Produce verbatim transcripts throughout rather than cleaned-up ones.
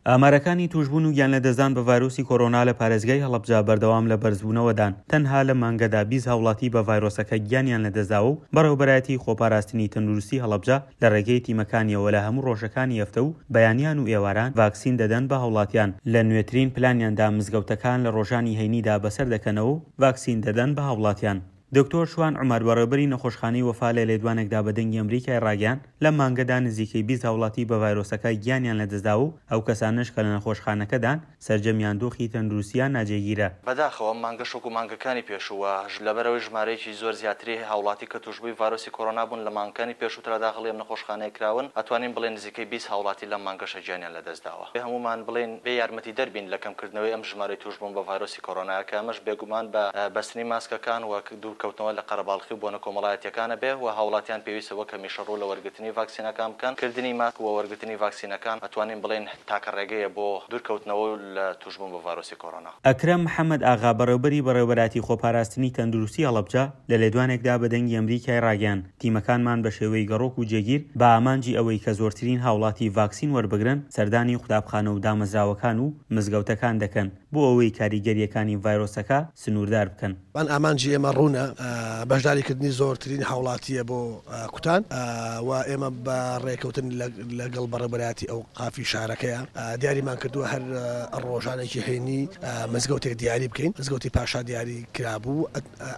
ئامارەکانی تووشبوون و گیانلەدەستدان بە ڤایرۆسی کۆرۆنا لە پارێزگای هەڵەبجە بەردەوام لە بەرزبوونەوەدان، تەنها لەم مانگەدا بیست هاوڵاتی بە ڤایرۆسەکە گیانیان لەدەستداوە و بەڕێوەبەرایەتی خۆپاراستنی تەندروستی هەڵەبجە لە ڕێگەی تیمەکانیەوە لە هەموو ڕۆژەکانی هەفتە و بەیانیان و ئێواران ڤاکسین دەدەن بە هاوڵاتیان. لە نوێترین پلانیاندا مزگەوتەکان لە ڕۆژانی هەینیدا بەسەر دەکەنەوە و ڤاکسین دەدەن بە هاوڵاتیان. دکتۆر شوان عومەر بەڕێوبەری نەخۆشخانەی وەفا لە لێدوانێکدا بە دەنگی ئەمریکای ڕاگەیاند لەم مانگەدا نزیکەی بیست هاوڵاتی بە ڤایرۆسەکە گیانیان لەدەستداوە و ئەو کەسانەش کە لە نەخۆشخانەکەدان سەرجەمیان دۆخی تەندروستیان ناجێگیرە. بەداخەوە ئەم مانگەش وەکو مانگەکانی پێشوو و لەبەرئەوەی ژمارەیەکی زۆر زیاتری هاوڵاتی کە توشبووی ڤایرۆسی کۆرۆنا بوون لە مانگەکانی پێشووترا داخڵی ئەم نەخۆشخانەیە کراون ئەتوانین بڵێین نزیکەی بیست هاوڵاتی لەم مانگەشە گیانیان لەدەستداوە. هەموومان بڵێین بێ یارمەتیدەر بین لە کەمکردنەوەی ئەم ژمارەی توشبوون بە ڤایرۆسی کۆرۆنا کە ئەمەش بێگومان بە بەستنی ماسکەکان و دوورکەوتنەوە لە قەرەباڵخی و بۆنە کۆمەڵایەتیەکانە بێ و هاوڵاتیان پێویستە وەک هەمیشە ڕوو لە وەرگرتنی ڤاکسینەکان بکەن. کردنی ماسک و وەرگرتنی ڤاکسینەکان ئەتوانین بڵێین تاکە ڕێگەیە بۆ دوورکەوتنەوە لە توشبوون بە ڤایرۆسی کۆرۆنا. ئەکرەم محەمەد ئاغا بەڕێوبەری بەڕێوبەراتی خۆپاراستنی تەندروستی هەڵەبجە لە لێدوانێکدا بە دەنگی ئەمریکای ڕاگەیاند تیمەکانمان بە شێوەی گەڕۆک و جێگیر بە ئامانجی ئەوەی کە زۆرترین هاوڵاتی ڤاکسین وەربگرن سەردانی قوتابخانە و دامەزراوەکان و مزگەوتەکان دەکەن بۆ ئەوەی کاریگەرییەکانی ڤایرۆسەکە سنووردار بکەن. بان ئامانجی ئێمە ڕوونە، بەشداریکردنی زۆرترین هاوڵاتییە بۆ کوتان و ئێمە بە ڕێکەوتن لەگەڵ بەڕێوەبەرایەتی ئەوقافی شارەکەیە دیاریمان کردووە هەر ڕۆژانێکی هەینی مزگەوتێک دیاری بکەین، مزگەوتی پاشا دیاری کرابوو،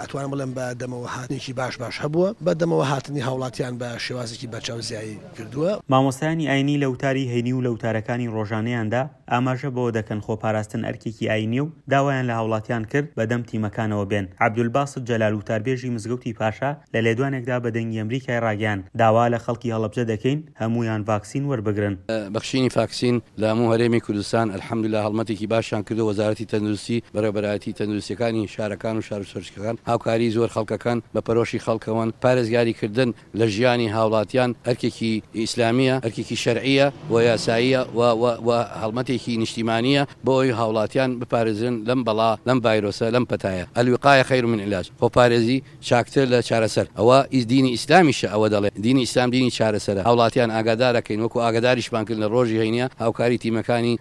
ئەتوانم بڵێم بە دەمەوە هاتنێکی باش باش هەبووە، بە دەمەوە هاتنی هاوڵاتیان بە شێوازێکی بەرچاو زیایی کردووە. مامۆستایانی ئاینی لە وتاری هەینی و لە وتارەکانی ڕۆژانەیاندا ئاماژە بەوە دەکەن خۆپاراستن ئەرکێکی ئاینییە و داوایان لە هاوڵاتیان کرد بەدەم تیمەکانەوە بێن. عەبدولباست جەلال وتاربێژی مزگەوتی پاشا لە لێدوانێکدا بە دەنگی ئەمریکای ڕاگەیاند، داوا لە خەڵکی هەڵەبجە دەکەین هەموویان ڤاکسین وەربگرن. بەخشینی فاکسین لە هەموو هەرێمی کوردستان الحمدللە هەڵمەتێکی باشیان کردووە وەزارەتی تەندروستی بەڕێوەبەرایەتی تەندروستیەکانی شارەکان و شارۆچکەکان هاوکاری زۆر خەڵکەکەن بە پەرۆشی خەڵکەوەن پارێزگاری کردن لە ژیانی هاوڵاتیان ئەرکێکی ئیسلامیە ئەرکێکی شەرعیە و یاساییە و و و هەڵمەتێکی نیشتیمانیە بۆ ئەوەی هاوڵاتیان بپارێزرێن لەم بەڵا لەم ڤایرۆسە لەم پەتایە الوقایە خیر من علاج خۆپارێزی چاکتر لە چارەسەر ئەوە دینی ئیسلامیشە ئەوە دەڵێ دینی ئیسلام دینی چارەسەرە هاوڵاتیان ئاگادارەکەین وەکو ئاگاداریشمان کرد لە ڕۆژی هەینیە هاوکاری تیمەکانی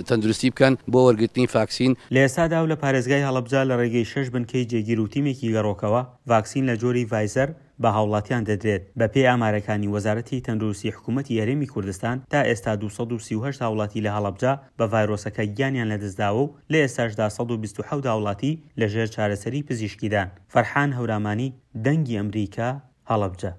تەندروستی بکەن بۆ وەرگرتنی فاکسین. لە ئێستادا و لە پارێزگای هەڵەبجە لە ڕێگەی شەش بنکەی جێگیر و تیمێکی گەڕۆکەوە ڤاکسین لە جۆری ڤایزەر بە هاوڵاتیان دەدرێت، بەپێی ئامارەکانی وەزارەتی تەندروستی حکومەتی هەرێمی کوردستان تا ئێستا دوو سەد و سی و هەشت هاوڵاتی لە هەڵەبجە بە ڤایرۆسەکە گیانیان لەدەستداوە و لە ئێستاشدا سەد و بیست و حەوت هاوڵاتی لەژێر چارەسەری پزیشکیدان. فەرحان هەورامانی، دەنگی ئەمریکا، هەڵەبجە.